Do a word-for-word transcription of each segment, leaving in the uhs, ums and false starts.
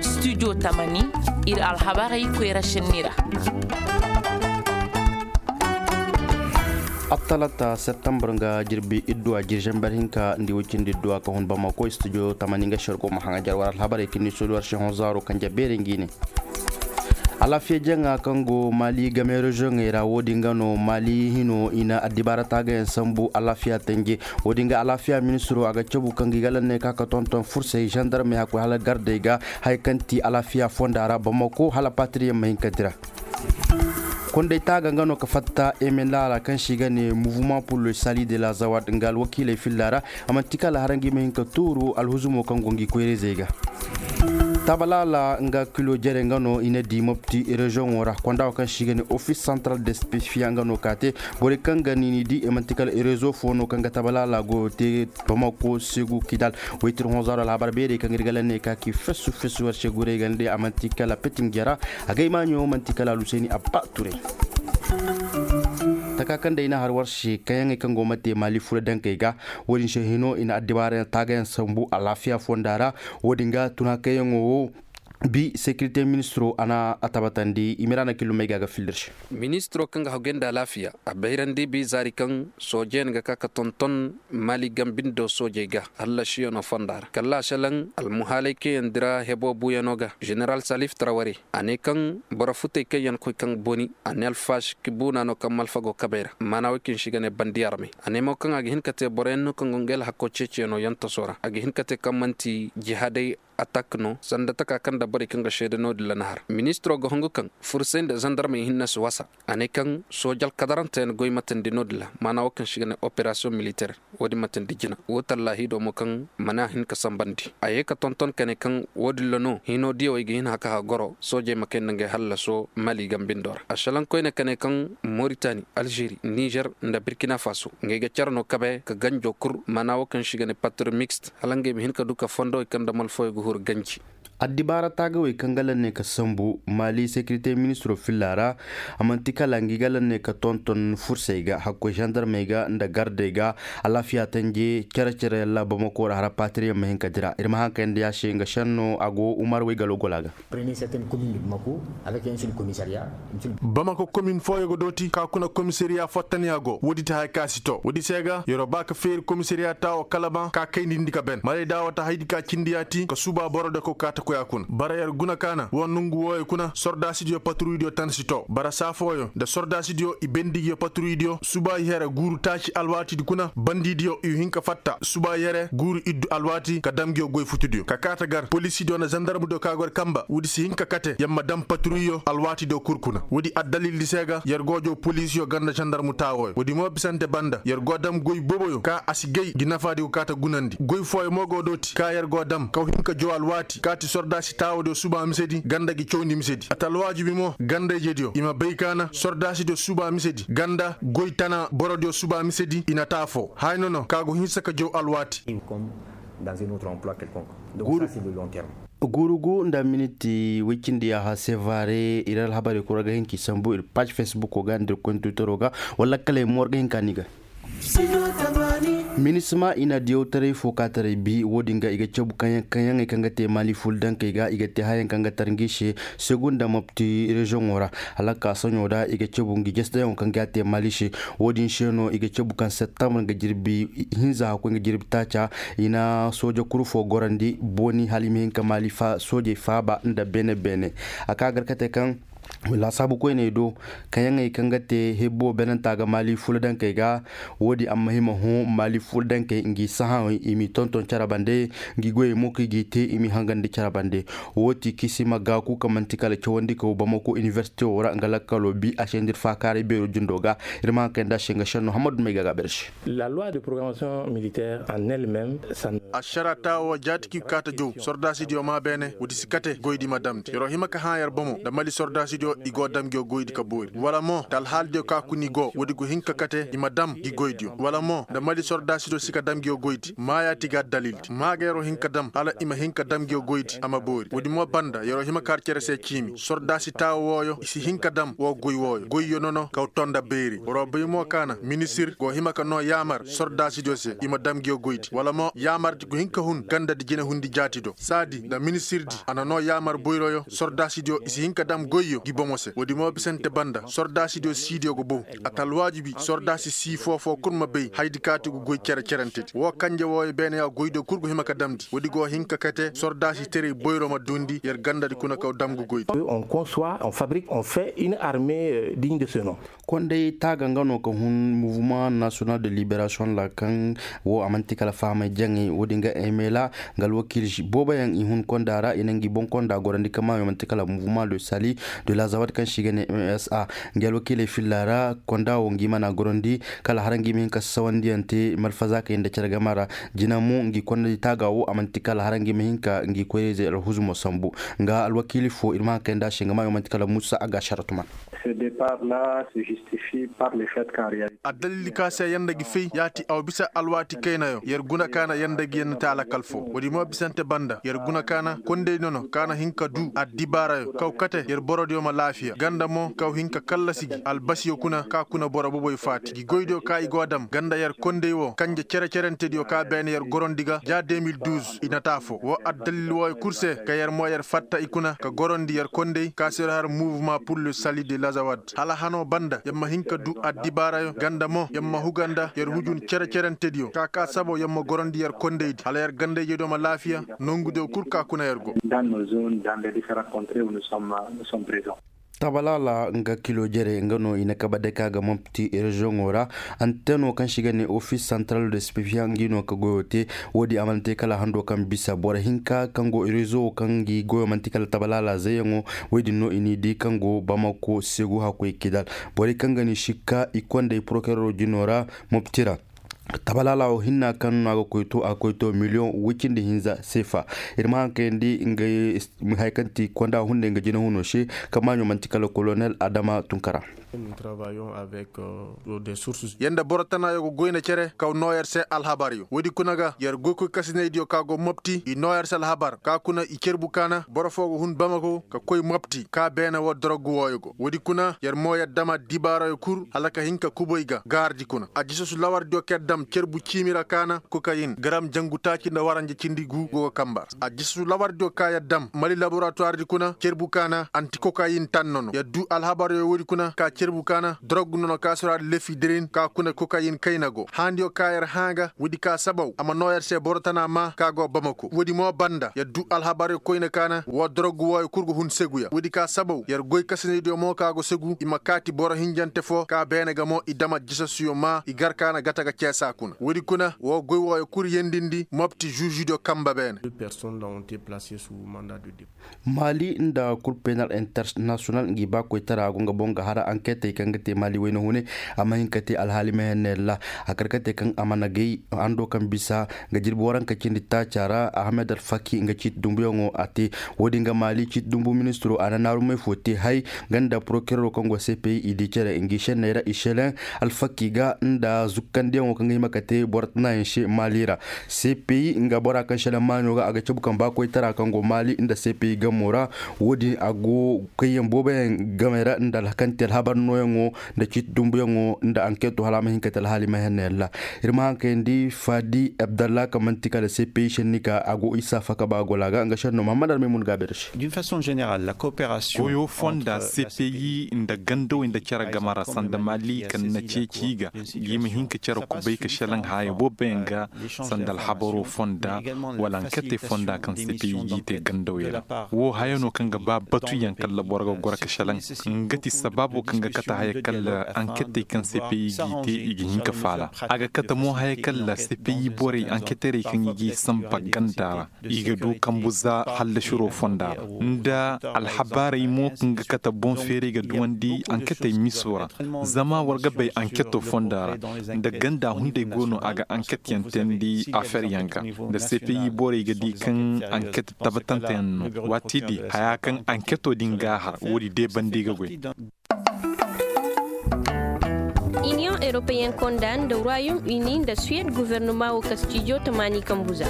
Studio tamani, ir alhabarey koyra šenni ra. Attalata septembre nga jirbi idduwa jirjamber hinka ndi wicindi idduwa ka hun bamako studio tamani nga shargo ma haŋa jar war alhabarey kinni soluwar shehon zaro kanje beere ngi ne. Alaafiya jaŋa kaŋ go mali game reziyoŋey ra wo-din ga no mali hino i na addibaara taagayaŋ sambu alaafiya tanje. Wo-din ga alaafiya ministiro a ga cabu kaŋ ga i ga lanney ka ka tonton fursey zandarmey hakkoy hala gardey ga haya kaŋ ti alaafiya fonda ra bamako hala patiriyaŋ ma hin ka dira. Kondey taaga nga no ka fatta emendala kaŋ se i ga ne mouvement pour le sali de la zawad nga alwakiiley filla ra. A manti kala hara ngi ma hin ka tuuru alhuzumo kaŋ go ngi koyra-izey ga. Tabalaala nga kilo jere nga no i na di mopti reziyoŋo ra konda wo kaŋ se i ga ne office central de spesifiya nga no ka te. Borey kaŋ ga ni ni di i manti kala rezo fo no kaŋ ga tabalaala go te bamako segu kidal. Waytir honzaaro alhabar beerey kaŋ ir ga la ne ka ki fesu fesu war se gurey ga ne a manti kala petin jara. Agay maaɲo manti kala aluseni abba ture. Taka kaŋ day na har war se kayaŋey kaŋ go ma te mali fula dankey ga. Wo-din se hino i na addibaarayaŋ taagayaŋ sambu alaafiya fonda ra. Wo-din ga tuna kayaŋo wo bi sekirite ministiro a na a tabatandi i ma ra na killumey ga ga fillir se. Ministiro kaŋ ga haggoy nda alaafiya a bayrandi bi zaari kaŋ soojeyaŋ ga ka ka tonton mali gambindo soojey ga hallasiyaŋo fonda ra kala a selaŋ almuhaalay kaŋ yaŋ dira hebo buuyaŋo ga. Jeneral salif taraware a ne kaŋ boro futey kaŋ yaŋ koy kaŋ boni a ne alfaashi ka buuna no kaŋ malfago kabey ra maana woy kaŋ se i ga ne bandi armey. A ne mo kaŋ a ga hin ka te boroyaŋ no kaŋ go nga alhakko ceeciyaŋo yaŋ taso ra a ga hin ka te kaŋ man'ti jihaadey atak no sanda taka kaŋ nda borey kaŋ ga seede no-din ra na har ministiro ga hungu kaŋ fursay nda zandarmey hinne si wasa. A ne kaŋ sooje alkadaranteyaŋ goy matandi no-din ra maana wo kaŋ se i ga ne operasiyoŋ militeer. Wo-din matandi jina wo tallaahido mo kaŋ mana hin ka sambandi a ye ka tonton ka ne kaŋ wo-din ra no hino diyawey ga hin haka hagoro soojey ma kay nda ngey hallaso mali gambindo ra a salaŋ koyne ka ne kaŋ moritani alžeri nizer nda birkina faso ngey ga care no kabe ka ganjo kul maana wo kaŋ se i ga ne patri mixte hala ngey ma hin ka du ka fondowey kaŋ nda malfawey ga huru ganji. Addibaara taagawey kaŋ ga lanne ka sambu mali sekirite ministiro filla ra. A man'ti kala ngi ga lanne ka tonton fursey ga hakkoy zandarmey ga nda gardey ga alaafiya tanje care care yalla bamako ra hara patiriyaŋ ma hin ka dira ir ma haŋ kayandi ya se nga senno a go umar wey galo gola ga. Bamako komin fooyo ga dooti ka kuna komisariya fattaniya go woodi ti haya ka si to woodi se ga yer'o ba ka feeri komisariya taawo kala ma ka kayndi ndi ka ben marayda wata haydi ka cindi yaati ka suuba boro de ko ka ta koy a kuna bara yer guna ka na wo nongu wooyo kuna sordaasidiyo paturuydiyo tan si to bara saa fooyo nda sordaasidiyo i bendi ngiyo paturuydiyo suuba i here guuru taaci alwaatidi kuna bandidiyo i hin ka fatta suuba i here guuru iddu alwaati ka dam ngiyo goy futudiyo ka kaata gar polisidiyo nda zandarmudiyo ka gor kamba woodi si hin ka kate yer ma dam paturuyyo alwaatidiyo kul kuna woodi addalildi se ga yer go jaw polisiyo ganda zandarmu taawooyo woodi mo bisante banda yer go dam goy boboyo ka a si gay ngi nafaadi go kaata gunandi goy fooyo mo go dooti ka yer go dam kaw hin ka jaw alwaati kaati sordaasi taawoodiyo suuba misedi ganda ngi cawndi misedi a ta alwaajibi mo ganda ijediyo i ma bay ka na sordaasidiyo suuba misedi ganda goy tana borodiyo suuba misedi i na taafoo haya nono ka go hinsa ka jaw alwaati. Guuru gu nda miniti woy cindi yaaha sevare ir alhabarey kul war ga hin k'i sambu ir paac fesbuko ga nda ir kontitoro ga wala kala ay mo war ga hin ka ni ga. Minisma i na diyawtaray fo ka taray bi wo-din ga i ga cabu kaŋyaŋey kaŋ ga te mali ful dankey ga i ga te hayaŋ kaŋ ga tar ngi se segu nda mopti reziyoŋo ra. Hala ka soɲo ra i ga cabu ngi jesedayaŋo kaŋ ga te mali se wo-din se no i ga cabu kaŋ septembre nga jirbi hinza hakkoy nga jirbi taaca i na sooja kuru fo gorandi booni hala i ma hin ka maali fa soojey faaba nda beene beene. A ka gar kate kaŋ laasaabu koyney do kaŋyaŋey kaŋ ga te hebbo beenanta ga maali fuladankey ga. Wo-din a ma hima hõ maali fuladankey ngi sahãwey i m'i tonton cere bande ngi goyey mo kaŋ i g'i te i m'i hangandi cere bande. Wo ti kisima gaaku kaŋ manti kala cawandi ka wo bamako inibersite wo ra nga lakkalo bi a se nda ir faakaaray beero jindo ga. Ir ma haŋ kay nda a se nga šenno hammadu may ga ga a beere se. Ašara taawo jaati kaŋ i ga kaata jow sordaasidiyo maa beene woodi si kate goydi ma damndi yer'o hima ka hã yer bomo nda mali sordaasi. i go dam ngiyo goydi ka boori wala mo nda alhaaldiyo ka kuna i go woodi go hin ka kate i ma dam ngi goydiyo wala mo nda mali sordaasidiyo si ka dam ngiyo goydi maayaati ga addalildi maagayaroo hin ka dam hala i ma hin ka dam ngiyo goydi a ma boori woodi mo banda yeroo hima ka har cere se ciimi sordaasi taawa wooyo i si hin ka dam woo goy wooyo goyyo nono kaw tonda beeri waroo bay mo ka na ministir go hima ka noo yaamar sordaasidiyo se i ma dam ngiyo goydi wala mo yaamardi go hin ka hun gandadi jinehundi jaatido saadi nda ministirdi a na noo yaamar boyroyo sordaasidiyo i si hin ka dam goyyo ngi bomo se woodi mo bisante banda sordaasidiyo siidiyo go bow a ta alwaajibi sordaasi sii foo-foo kul ma bay hayadi kaati go goy cere-cerentedi woo kanje wooyo beene ya goydiyo kul go hima ka damndi woodi go hin ka kate sordaasi teray boyro ma duundi yer gandadi kuna kaw dam ngu goydi. On conçoit, on fabrique, on fait une armée digne de ce nom. Konday taaga nga no ka hun mouvement national de liberation ra kaŋ wo a man'ti kala fahamay jaŋay woodin ga emela nga alwakiili booboyaŋ i hun konda ra i na ngi boŋ konda gorandi kaŋ maayo man'ti kala mouvement de sali de lazawad kaŋ se i ga ne msa. Ngi alwakiiley filla ra konda wo ngi mana gorandi kala hara ngi ma hin ka sasawandiyaŋ te malfaza kaŋ yaŋ nda care game ra. Jina mo ngi kondadi taaga wo a man'ti kala hara ngi ma hin ka ngi koyra-izey alhuzumo sambu. Nga alwakiili fo ir ma haŋ kay nda a se nga maayo man'ti kala musa a ga a sharatuman. Ce départ là se justifie par le fait qu'en réalité. Addalil ka se yanda gi fay ya ti a wa bisa alwaati kaynayo yer guna ka na yanda gi yanda te alakal fo woodi mo bisante banda yer guna ka na kondey nono ka na hin ka du addibaarayo kaw kate yer borodiyo ma laafiya ganda mo kaw hin ka kallasi gi albasiyo kuna ka kuna boro boboy faati gi goydiyo ka i go dam ganda yer kondey wo kanje cere-cerentediyo ka beene yer gorondi ga ja deux mille douze i na taa fo wo addalil wooyo kul se ka yer mo yer fatta i kuna ka gorondi yer kondey ka se yer har mouvement pour le sali de lazawad hala hanoo banda yer ma hin ka du addibaarayo ganda mo yer ma huga nda yer hujun cere-cerentediyo ka ka saboo yer ma gorondi yer kondaydi hala yer gandayjediyo ma laafiya nongudiyo kul ka kuna yer go. Tabalaala nga kilo jere nga no i na kabe day ka ga mopti reziyoŋo ra. Anteno kaŋ se i ga ne ofis santral de spefiya ngi no ka goyo te. Woodi a mana te kala hando kaŋ bisa boro hinka kaŋ go rezo kaŋ ngi goyo manti kala tabalaala zayyaŋo. Woodin no i n'i di kaŋ go bamako segu hakkoy kidal. Borey kaŋ ga ni sikka i konday porokerero jino ra mopti ra. Tabalaala wo hinna kaŋ no a ga koy to a ga koy to miliyoŋ woy cindi hinza seefa. Ir ma haŋ kayandi nga haya kaŋ ti konda hunday nga jina huno se. Kaŋ maaɲo manti kala kolonel adama tunkara. Yer nda boro tanayo ga goy nda cere kaw noo yer se alhabaryo woodi kuna ga yer goykoy kasinaydiyo ka go mopti i noo yer se alhabar ka kuna i cerbu kaana boro foo ga hun bamako ka koy mopti ka beene woo dorogu wooyo go woodi kuna yer mo yer dam addibaarayo kul hala ka hin ka kuboy ga gaardi kuna ajisasu lawardiyo ka yer dam cerbu ciimi ra kaana kokayin garam jangu taaci nda waranja cindi gu go ga kamba ra ajisasu lawardiyo ka yer dam mali laboratuwardi kuna cerbu kaana anti kokayin tan nono yer du alhabaryo woodi kuna ka cerbu kaana dorogu nono ka sora lefidirin ka kuna kokayin kayna go haandiyo ka yer hãa ga woodi ka sabaw a ma noo yer se boro tana maa ka go bamako woodi mo banda yer du alhabaryo koyne kaana woo dorogu wooyo kul ga hun seguya woodi ka sabaw yer goy kasinaydiyo mo ka go segu i ma kaati boro hinjante foo ka beene ga mo i dam ajisasuyo maa i gar kaana gata ga ceesa kuna woodi kuna woo goy wooyo kul yendindi mopti žužidiyo kamba beene. Maali nda kur penal international ngi baakoytara go nga boŋ ga hara anketey kaŋ ga te maali wayna hune a ma hin ka te alhaali mehenner ra a kar ka te kaŋ a mana gay hando kaŋ bisa nga jirbi waranka cindi taaca ra ahmed alfaki nga ciiti dumbuyaŋo a te. Woodin ga maali ciiti dumbu ministiro a na naarumey fo te hay nga nda porokerero kaŋ go cpi i di cere ngi senney ra i seleŋ alfaki ga nda zukkandiyaŋo kaŋ ga hima ka te boro tanayaŋ se maali ra. Cpi nga bora kaŋ seleŋ maaɲo ga a ga cabu kaŋ baakoytara kaŋ go maali nda cpi gamo ra. Woodin a go kayyaŋ booboyaŋ gamey ra nda alhakanti alhabar nooyaŋo nda ciiti dumbuyaŋo nda anketo hala a ma hin ka te alhaali ma hennayaŋ ra. Ir ma haŋ kayandi faadi abdallah kaŋ man'ti kala cpi senni ka a go isa faka ba gola ga nga senno mahamad almaymun ga a beere se. Goyo fonda cpi nda gandawey nda care game ra sanda maali kaŋ na ceeci i ga, i ma hin ka care kubay ka selaŋ haya booboyaŋ ga sanda alhabaro fonda wala anketey fonda kaŋ cpi g'i te gandawey ra. Wo haya no kaŋ ga ba batuyaŋ kala boro ga goro ka selaŋ. Nga ti sabaabo kaŋ ga kate haya kala anketey kaŋ cpi g'i te i ga hin ka faala. A ga kate mo haya kala cpi borey anketerey kaŋ i g'i samba ganda ra i ga du kambu za hallasiro fonda ra nda alhabaarey mo kaŋ ga kate boŋ feeray ga duwandi anketey miso ra. Zama war ga bay anketo fonda ra nda ganda hun. Day go no a ga anket yaŋ teendi afer yaŋ ga. Nda cpi borey ga di kaŋ anket tabatanteyaŋ no waati di haya kaŋ anketo din ga a har woodi day banda i ga goy. Iniyoŋ europeyen konda nda royaume uni nda suwed guvernoma wo kastijo tamaani kambu za.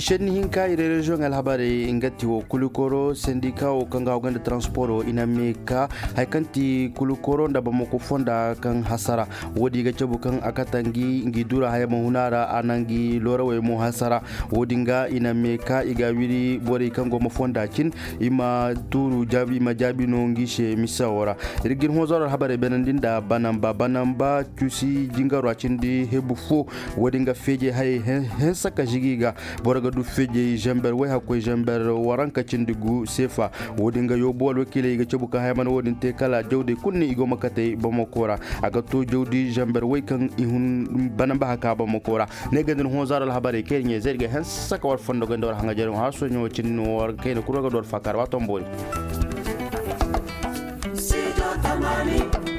Šenni hinka i rereziyoŋ alhabarey nga ti wo kulikoro sendika wo kaŋ ga hawgay nda transporo i na mee ka haya kaŋ ti kulikoro nda bamako fonda kaŋ hasara. Woodi ga cabu kaŋ a kata ngi ngi dura haya ma huna ra a na ngi loorawey mo hasara. Woodi nga i na mee ka i ga a wiri borey kaŋ go ma fonda cin i ma tuuru jaabi i ma jaabi no ngi se misa wo ra. Ir ga ir hõ zaro alhabarey beenandi nda banamba banamba cuusi jingaro a cindi hebu fo. Woodi nga feejey hayey hensa ka žigi ga. Boro ga du feejey zamber way hakkoy zamber waranka cindi gu seefa. Woodi nga yoobu alwakiiley i ga cabu ka haya mana woodin te kala jawdey kulu ne i go ma katey bamako ra. A ga to jawdi zamber way kaŋ i hun banamba haka bamako ra. Ne ga din hõ zaro alhabarey kayna ɲey zay ir ga hensa ka war fondo ganda war haŋajarey hõ har soɲo cindi no war kayna kulu war ga du war faakaara ba tomboori. Studio tamaani.